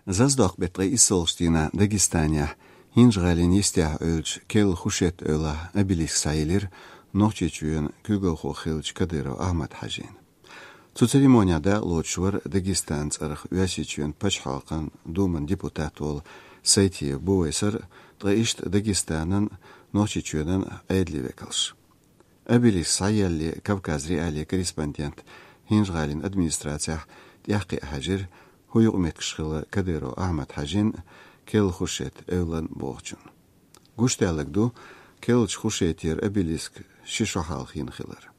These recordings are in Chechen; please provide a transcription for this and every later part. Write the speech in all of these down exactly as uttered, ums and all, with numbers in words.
Зазадоккху беттан ткъе исслагӀчу дийнахь Дагестанехь, ХӀинжа-ГӀалин йистехь Ӏуьллучу Кел-Хушет-Эвлахь обелиск схьаелира Нохчийчоьнан куьйгалхо хиллачу Кадыров Ахьмад-Хьаьжина. Цу церемонехь дакъалоцуш вара Дагестанан цӀарах Оьрсийчоьнан Пачхьалкхан Думан депутат волу Сайтиев Бувайсар а, ткъа иштта Дагестанан а, Нохчийчоьнан а Ӏедалан векалш. Обелиск схьаеллале Кавказ.Реалии корреспондент ХӀинжа-ГӀалин администрацехь тӀаьхьакхиа хьаьжира, хӀун юкъаметтигаш хилла Кадыров Ахьмад-Хьаьжин а, Кел-Хушет-Эвлан бохучун. Гуш даьлларг ду Келлачу Хушетера обелиск ши шо хьалха йина хилар.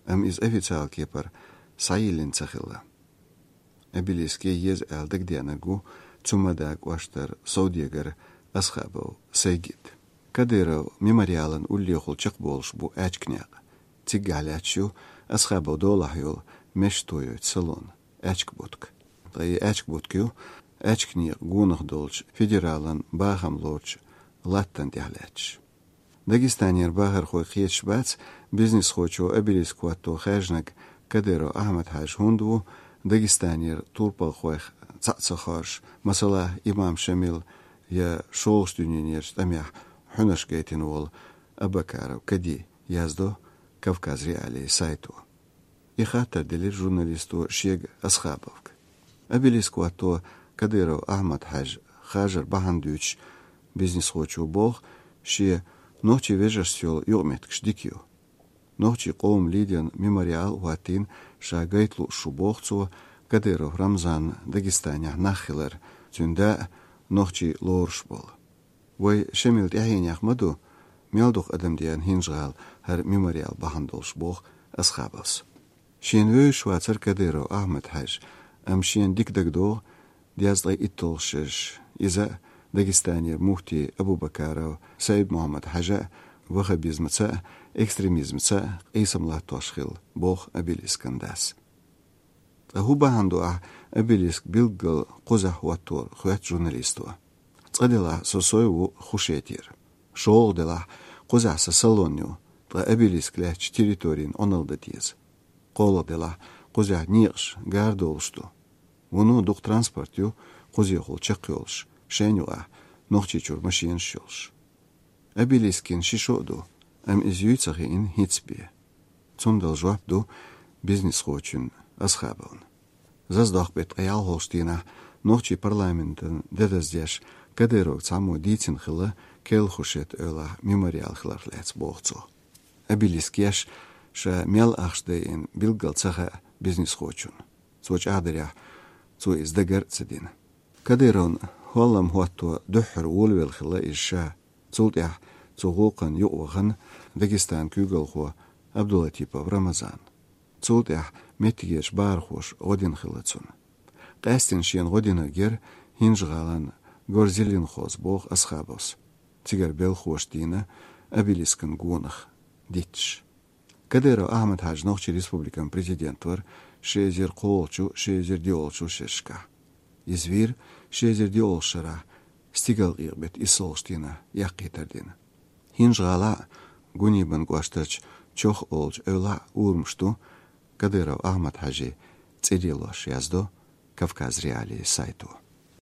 Амма иза официалан кепара схьайиллина ца хилла. Обелиск ян еза аьлла дагадеанарг ву Цумада кӀоштара совдегар Асхабов Сайгид. Кадыров мемориалан уллехула чекхболуш бу аьчка некъ. Циггахь лаьтташ ю Асхабов долахь йолу мешан тояйчу салон, аьчка будка. Ткъа и аьчка будка ю аьчка некъан гонах долчу федералан бахам лоручу латтана тӀехь лаьтташ. Дагестанера бахархой кхеташ бац бизнесхочо обелиск хӀотто хаьржинарг Кадыров Ахьмад-Хьаьжа хӀунда ву Дагестанера турпалхойх цхьаъ ца хоржуш, масала, имам Шамил я шолгӀачу дуьненан тӀамехь хьуьнарш гайтина волу Абакаров Кади, яздо Кавказ.Реалии сайто. И хаттар делира журналисто шега Асхабовга. Обелиск хӀотто Кадыров Ахьмад-Хьаьжа харжар бахьана дуьйцуш, бизнесхочо боху, шен нохчийн вежаршца йолу юкъаметтигаш дика ю. Нохчийн къоман лидеран мемориал а хӀоттийна ша гайта лууш ву, боху цо, Кадыров Рамзанан Дагестанехь нах хилар, цуьнан да а нохчийн лоруш болу. Вай Шамилан тӀаьхьенех ма ду, мел дукха адам деана ХӀинжа-ГӀала хӀара мемориал бахьана долуш, боху Асхабовс. Шена вевзаш вацара Кадыров Ахьмад-Хьаьжа, амма шена дика дагадогӀу дезткъе итталгӀа шераш иза а, Дагестанера муфти Абубакаров Сайд-Мухьаммад-Хьаьжа а ваххабизмаца а, экстремизмаца а къийсам латтош хилла, боху обелискан дас. Ткъа хӀун бахьана ду ахь обелиск билггал кхузахь хӀоттор, хоьтту журналисто. Цкъа делахь, со сов ву Хушетера. ШолгӀа делахь, кхузахь сан салон ю, ткъа обелиск лаьттачу территорина Ӏуналла дан деза. КхоалгӀа делахь, кхузахь некъаш гар долуш ду. Вуно дукха транспорт ю кхузехула чекхйолуш, шайна юкъахь Нохчийчуьра машенаш йолуш. Обелиск йина ши шо а ду, амма иза юй ца хиъна хӀинца бен. Цундела жоп ду бизнесхочун Асхабовна. Зазадоккху беттан ткъе ялхолгӀачу дийнахь нохчийн парламентан де даздеш Кадыровга цхьаммо дийцина хилла Кел-Хушет-Эвлахь мемориал хиларх лаьцна, боху цо. Обелиск еш ша мел ахча дайина билггал ца хаьа бизнесхочунна. Цо чӀагӀдарехь, цо иза дагар а ца дина. Кадыровн хӀоллам хӀотто дуьххьара волавелла хилла иза ша. Цул тӀаьхьа цу гӀуллакхна юкъавахана Дагестанан куьйгалхо Абдулатипов Рамазан. Цул тӀаьхьа меттигерчу бахархоша гӀо дина хилла цунна. Къаьсттина шена гӀо динарг яра ХӀинжа-ГӀалин Горзелинхоз, боху Асхабовс, цигара белхахоша дийна обелискан гонах дитташ. Кадыров Ахьмад-Хьаьжа Нохчийн Республикан президент вара ши эзар кхоалгӀачу, ши эзар диъалгӀачу шерашкахь. Иза вийра ши эзар диъалгӀачу шарахь, стигалкъекъа беттан иссалгӀачу дийнахь яккхий тардина. ХӀинжа-ГӀалахь а, Гунибан кӀоштарчу Чох олучу эвлахь а урамаш ду Кадыров Ахьмад-Хьаьжин цӀе лелош, яздо Кавказ.Реалии сайто.